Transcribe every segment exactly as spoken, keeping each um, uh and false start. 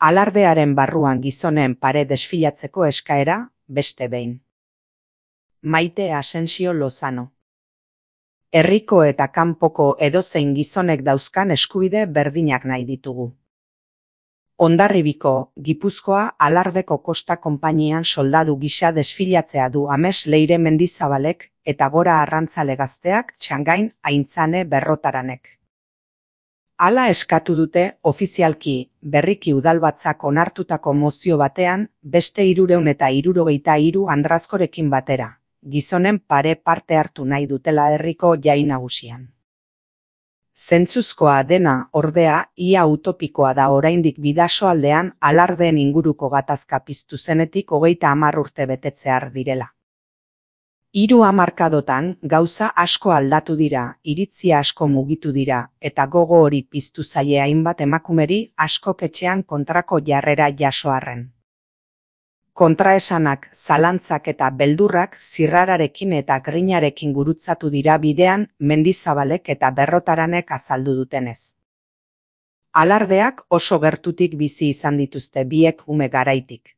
Alardearen barruan gizonen pare desfilatzeko eskaera, beste behin. Maite Asensio Lozano. Herriko eta kanpoko edozein gizonek dauzkan eskubide berdinak nahi ditugu. Hondarribiko, Gipuzkoa Alardeko Kosta Konpainian soldadu gisa desfilatzea du Ames Leire Mendizabalek eta Gora Arrantzale Gazteak Txangain Aintzane Berrotaranek. Hala eskatu dute ofizialki berriki udalbatzak onartutako mozio batean beste hirurehun eta hirurogeita hiru andrazkorekin batera, gizonen pare parte hartu nahi dutela herriko jai nagusian. Zentzuzkoa dena, ordea, ia utopikoa da oraindik Bidasoaldean Alardeen inguruko gatazka piztu zenetik hogeita hamar urte betetzear direla. Hiru hamarkadotan gauza asko aldatu dira, iritzia asko mugitu dira, eta gogo hori piztu zaie hainbat emakumeri askok etxean kontrako jarrera jaso arren. Kontraesanak, zalantzak eta beldurrak zirrararekin eta grinarekin gurutzatu dira bidean Mendizabalek eta Berrotaranek azaldu dutenez. Alardeak oso gertutik bizi izan dituzte biek ume garaitik.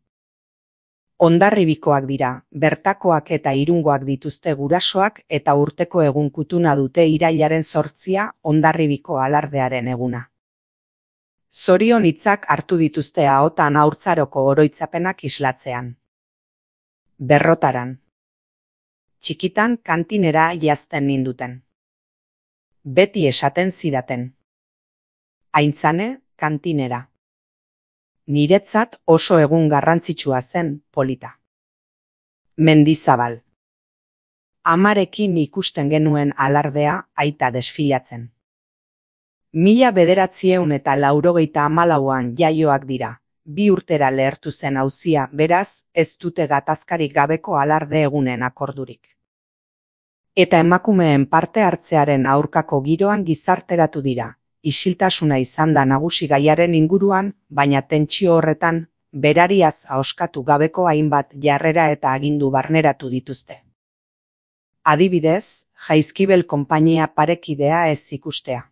Hondarribikoak dira, bertakoak eta irungoak dituzte gurasoak eta urteko egun kutuna dute irailaren zortzia Hondarribiko Alardearen eguna. Zorion hitzak hartu dituzte ahotan haurtzaroko oroitzapenak islatzean. Berrotaran. Txikitan kantinera jazten ninduten. Beti esaten zidaten. Aintzane, kantinera. Niretzat oso egun garrantzitsua zen, polita. Mendizabal. Amarekin ikusten genuen Alardea aita desfilatzen. Mila bederatzieun eta laurogeita hamalauan jaioak dira, bi urtera lehertu zen auzia, beraz, ez dute gatazkarik gabeko Alarde egunen akordurik. Eta emakumeen parte hartzearen aurkako giroan gizarteratu dira, isiltasuna izan da nagusi gaiaren inguruan, baina tentsio horretan, berariaz ahoskatu gabeko hainbat jarrera eta agindu barneratu dituzte. Adibidez, Jaizkibel konpainia parekidea ez ikustea.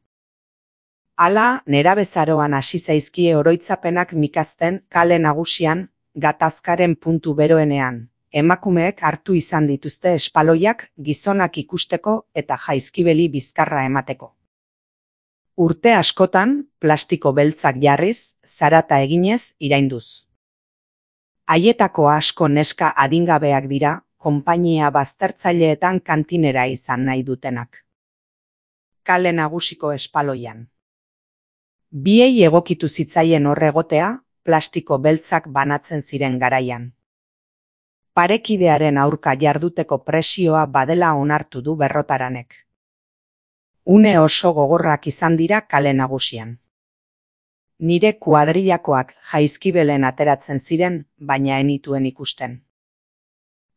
Hala, nerabezaroan hasi zaizkie oroitzapenak mikazten kale nagusian, gatazkaren puntu beroenean, emakumeek hartu izan dituzte espaloiak gizonak ikusteko eta Jaizkibeli bizkarra emateko. Urte askotan, plastiko beltzak jarriz, zarata eginez, irainduz. Haietako asko neska adingabeak dira, konpainia baztertzaileetan kantinera izan nahi dutenak. Kale nagusiko espaloian. Biei egokitu zitzaien horregotea, plastiko beltzak banatzen ziren garaian. Parekidearen aurka jarduteko presioa badela onartu du Berrotaranek. Une oso gogorrak izan dira kale nagusian. Nire kuadrilakoak Jaizkibelen ateratzen ziren, baina enituen ikusten.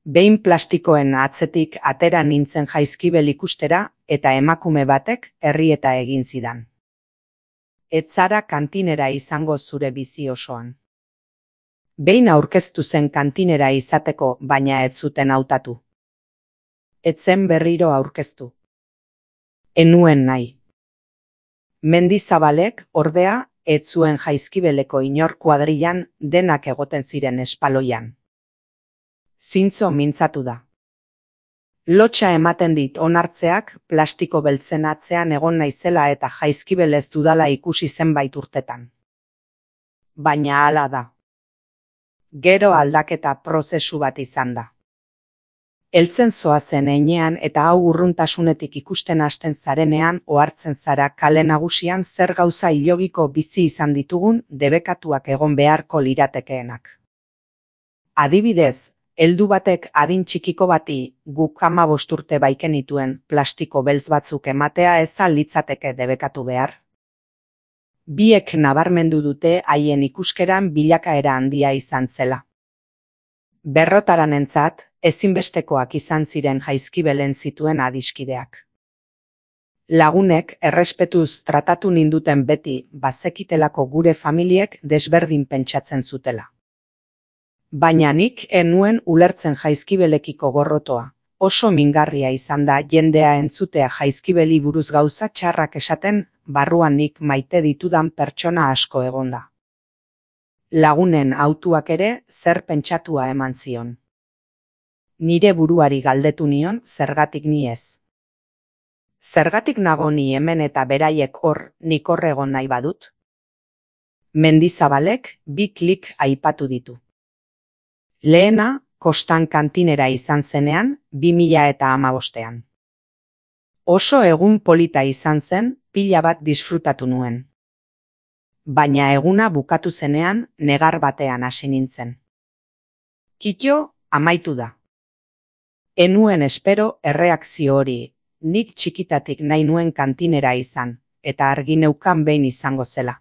Behin plastikoen atzetik atera nintzen Jaizkibel ikustera eta emakume batek errieta egin zidan. Ez zara kantinera izango zure bizi osoan. Behin aurkeztu zen kantinera izateko, baina ez zuten hautatu. Ez zen berriro aurkeztu. Enuen nahi. Mendizabalek, ordea, ez zuen Jaizkibeleko inor kuadrilan denak egoten ziren espaloian. Zintzo mintzatu da. Lotxa ematen dit onartzeak plastiko beltzen atzean egon naizela eta Jaizkibel ez dudala ikusi zenbait urtetan. Baina hala da. Gero aldaketa prozesu bat izan da. Heltzen zoazen heinean eta hau urruntasunetik ikusten hasten zarenean ohartzen zara kale nagusian zer gauza ilogiko bizi izan ditugun debekatuak egon beharko liratekeenak. Adibidez, heldu batek adin txikiko bati guk hamabost urte baikenituen plastiko beltz batzuk ematea ez al litzateke debekatu behar. Biek nabarmendu dute haien ikuskeran bilakaera handia izan zela. Berrotaranentzat, ezinbestekoak izan ziren Jaizkibelen zituen adiskideak. Lagunek errespetuz tratatu ninduten beti bazekitelako gure familiek desberdin pentsatzen zutela. Baina nik enuen ulertzen Jaizkibelekiko gorrotoa. Oso mingarria izan da jendea entzutea Jaizkibeli buruz gauza txarrak esaten, barruan nik maite ditudan pertsona asko egonda. Lagunen autuak ere zer pentsatua eman zion. Nire buruari galdetu nion zergatik ni ez. Zergatik nago ni hemen eta beraiek hor, nik hor egon nahi badut? Mendizabalek bi klik aipatu ditu. Lehena, kostan kantinera izan zenean, bi mila eta hamabostean. Oso egun polita izan zen, pila bat disfrutatu nuen. Baina eguna bukatu zenean, negar batean hasi nintzen. Kito, amaitu da. Enuen espero erreakzio hori, nik txikitatik nahi nuen kantinera izan, eta argi neukan behin izango zela.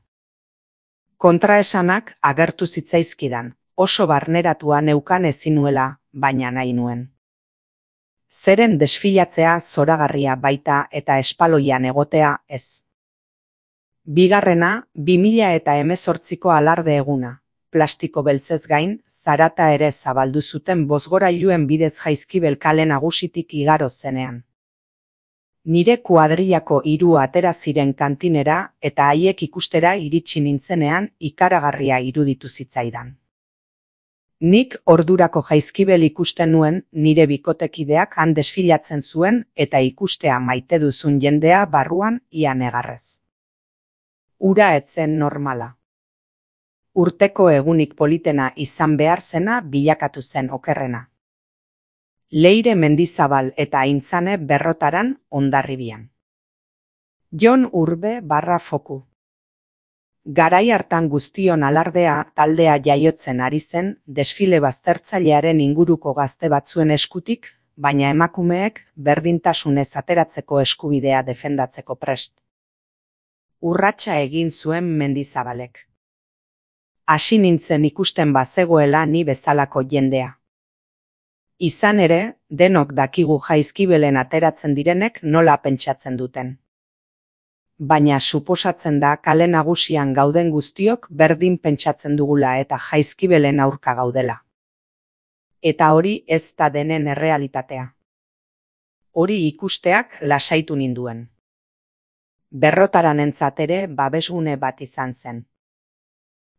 Kontraesanak agertu zitzaizkidan, oso barneratua neukan ezinuela, baina nahi nuen. Zeren desfilatzea zoragarria baita eta espaloian egotea ez. Bigarrena, bi mila eta hemezortziko alarde eguna. Plastiko beltzez gain, zarata ere zabaldu zuten bozgorailuen bidez Jaizkibel kale nagusitik igaro zenean. Nire kuadrillako hiru atera ziren kantinera eta haiek ikustera iritsi nintzenean ikaragarria iruditu zitzaidan. Nik ordurako Jaizkibel ikusten nuen nire bikotekideak han desfilatzen zuen eta ikustea maite duzun jendea barruan ia negarrez. Ura etzen normala. Urteko egunik politena izan behar zena bilakatu zen okerrena. Leire Mendizabal eta Aintzane Berrotaran Hondarribian. Jon Urbe barra foku. Garai hartan guztion alardea taldea jaiotzen ari zen desfile baztertzailearen inguruko gazte batzuen eskutik, baina emakumeek berdintasunez ateratzeko eskubidea defendatzeko prest. Urratsa egin zuen Mendizabalek. Hasi nintzen ikusten bazegoela ni bezalako jendea. Izan ere, denok dakigu Jaizkibelen ateratzen direnek nola pentsatzen duten. Baina suposatzen da kale nagusian gauden guztiok berdin pentsatzen dugula eta Jaizkibelen aurka gaudela. Eta hori ez da denen errealitatea. Hori ikusteak lasaitu ninduen. Berrotaranentzat ere babesgune bat izan zen.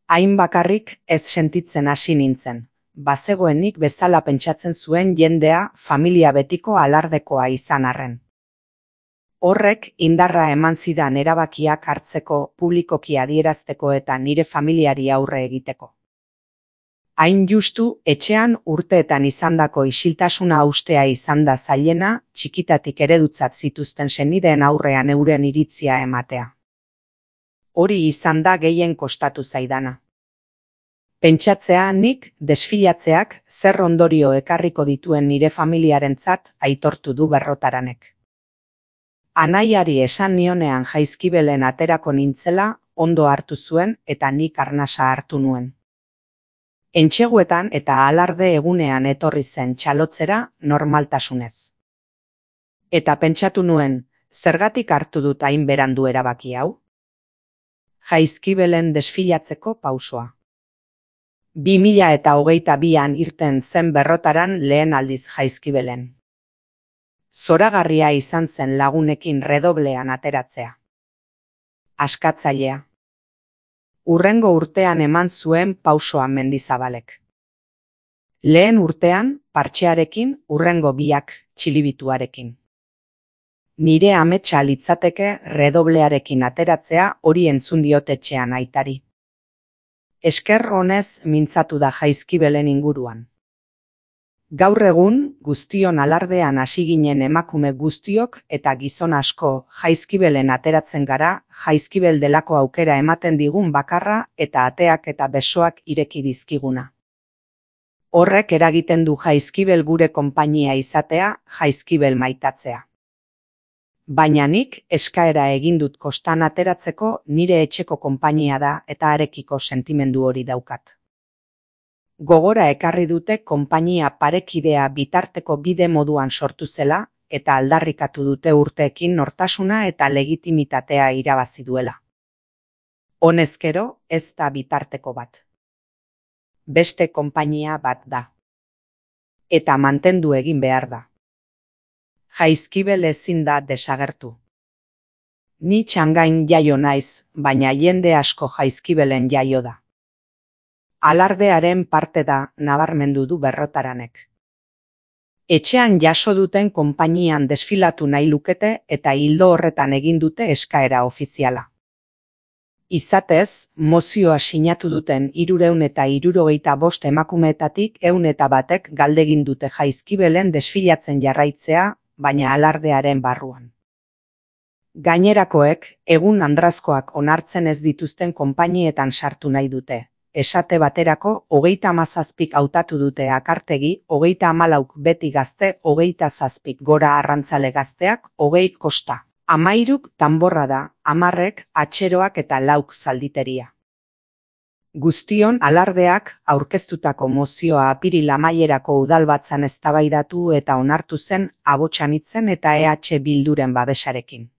Hain bakarrik ez sentitzen hasi nintzen, bazegoenik bezala pentsatzen zuen jendea familia betiko alardekoa izan arren. Horrek indarra eman zidan erabakiak hartzeko, publikoki adierazteko eta nire familiari aurre egiteko. Hain justu, etxean urteetan izandako isiltasuna haustea izan da zailena, txikitatik eredutzat zituzten senideen aurrean euren iritzia ematea. Hori izan da gehien kostatu zaidana. Pentsatzea nik desfilatzeak zer ondorio ekarriko dituen nire familiarentzat aitortu du Berrotaranek. Anaiari esan nionean Jaizkibelen aterako nintzela, ondo hartu zuen eta nik arnasa hartu nuen. Entseguetan eta alarde egunean etorri zen txalotzera normaltasunez. Eta pentsatu nuen, zergatik hartu dut hain berandu erabaki hau? Jaizkibelen desfilatzeko pausoa. Bi mila eta hogeita bian irten zen Berrotaran lehen aldiz Jaizkibelen. Zoragarria izan zen lagunekin redoblean ateratzea. Askatzailea. Urrengo urtean eman zuen pausoa Mendizabalek. Lehen urtean, partxearekin, urrengo biak txilibituarekin. Nire ametsa litzateke redoblearekin ateratzea hori entzun diot etxean aitari. Esker honez mintzatu da Jaizkibelen inguruan. Gaur egun, guztion alardean hasi ginen emakume guztiok eta gizon asko Jaizkibelen ateratzen gara, Jaizkibel delako aukera ematen digun bakarra eta ateak eta besoak ireki dizkiguna. Horrek eragiten du Jaizkibel gure konpainia izatea, Jaizkibel maitatzea. Baina nik eskaera egin dut kostan ateratzeko nire etxeko konpainia da eta harekiko sentimendu hori daukat. Gogora ekarri dute konpainia parekidea bitarteko bide moduan sortu zela eta aldarrikatu dute urteekin nortasuna eta legitimitatea irabazi duela. Honezkero ez da bitarteko bat. Beste konpainia bat da. Eta mantendu egin behar da. Jaizkibel ezin da desagertu. Ni Txangain jaio naiz, baina jende asko Jaizkibelen jaio da. alardearen parte da, nabarmendu du Berrotaranek. Etxean jaso duten konpainian desfilatu nahi lukete eta ildo horretan egin dute eskaera ofiziala. Izatez, mozioa sinatu duten hirurehun eta hirurogeita bost emakumeetatik ehun eta batek galdegin dute Jaizkibelen desfilatzen jarraitzea, baina alardearen barruan. Gainerakoek, egun andrazkoak onartzen ez dituzten konpainietan sartu nahi dute. Esate baterako, hogeita hamazazpik hautatu dute Akartegi, hogeita hamalauk beti gazte, hogeita zazpik gora arrantzale gazteak, hogei kosta. Hamairuk tanborra da, hamarrek atxeroak eta lauk zalditeria. Guztion alardeak aurkeztutako mozioa apiril amaierako udalbatzan eztabaidatu eta onartu zen Abotxanitzen eta E H Bilduren babesarekin.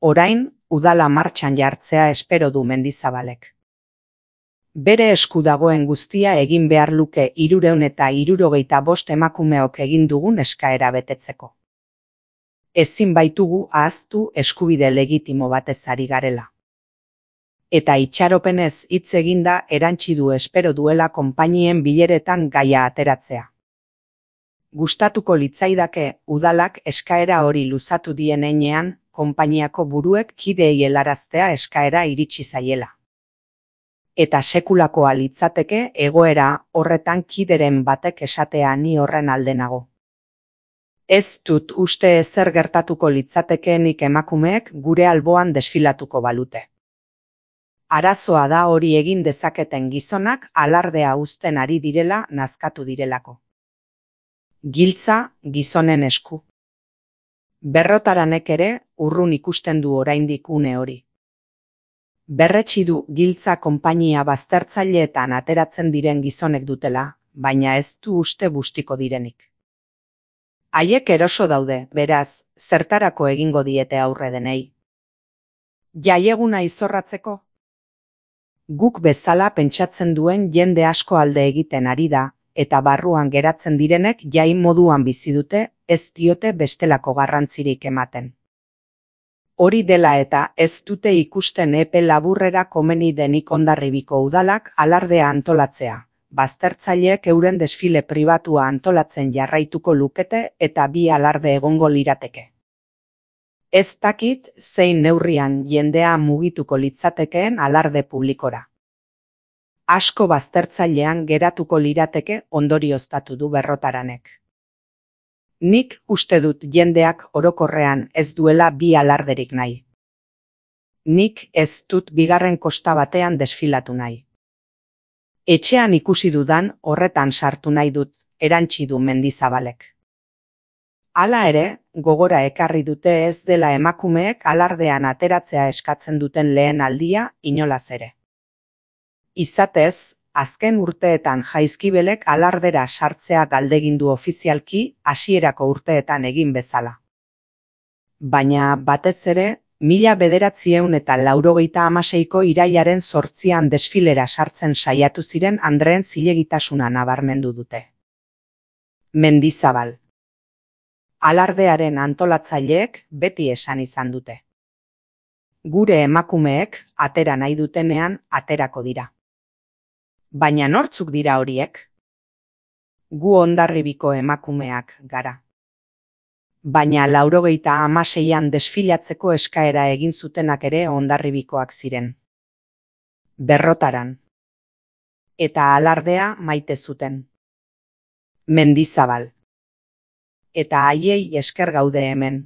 Orain, udala martxan jartzea espero du Mendizabalek. Bere esku dagoen guztia egin behar luke hirurehun eta hirurogeita bost emakumeok egin dugun eskaera betetzeko. Ezin baitugu ahaztu eskubide legitimo batez ari garela. Eta itxaropenez hitz eginda erantsi du espero duela konpainien bileretan gaia ateratzea. Gustatuko litzaidake udalak eskaera hori luzatu dien heinean, konpainiako buruek kideei helaraztea eskaera iritsi zaiela. Eta sekulakoa litzateke egoera horretan kideren batek esatea ni horren alde nago. Ez dut uste ezer gertatuko litzatekeenik emakumeek gure alboan desfilatuko balute. Arazoa da hori egin dezaketen gizonak alardea uzten ari direla nazkatu direlako. Giltza gizonen esku. Berrotaranek ere urrun ikusten du oraindik une hori. Berretsi du giltza konpainia baztertzaileetan ateratzen diren gizonek dutela, baina ez du uste bustiko direnik. Haiek eroso daude, beraz, zertarako egingo diete aurre denei. Jaieguna izorratzeko? Guk bezala pentsatzen duen jende asko alde egiten ari da, eta barruan geratzen direnek jai moduan bizi dute, ez diote bestelako garrantzirik ematen. Hori dela eta ez dute ikusten epe laburrera komeni denik Hondarribiko udalak alardea antolatzea. Baztertzaileek euren desfile pribatua antolatzen jarraituko lukete eta bi alarde egongo lirateke. Ez dakit zein neurrian jendea mugituko litzatekeen alarde publikora. Asko baztertzailean geratuko lirateke ondorioztatu du Berrotaranek. Nik uste dut jendeak orokorrean ez duela bi alarderik nahi. Nik ez dut bigarren kosta batean desfilatu nahi. Etxean ikusi dudan horretan sartu nahi dut, erantsi du Mendizabalek. Hala ere, gogora ekarri dute ez dela emakumeek alardean ateratzea eskatzen duten lehen aldia inolaz ere. Izatez, azken urteetan Jaizkibelek alardera sartzea galdegindu ofizialki hasierako urteetan egin bezala. Baina batez ere, mila bederatziehun eta laurogeita hamaseiko irailaren zortzian desfilera sartzen saiatu ziren andreen zilegitasuna nabarmendu dute. Mendizabal. Alardearen antolatzaileek beti esan izan dute. Gure emakumeek atera nahi dutenean aterako dira. Baina nortzuk dira horiek? Gu Hondarribiko emakumeak gara. Baina laurogeita hamaseian desfilatzeko eskaera egin zutenak ere Hondarribikoak ziren. Berrotaran. Eta alardea maite zuten. Mendizabal. Eta haiei esker gaude hemen.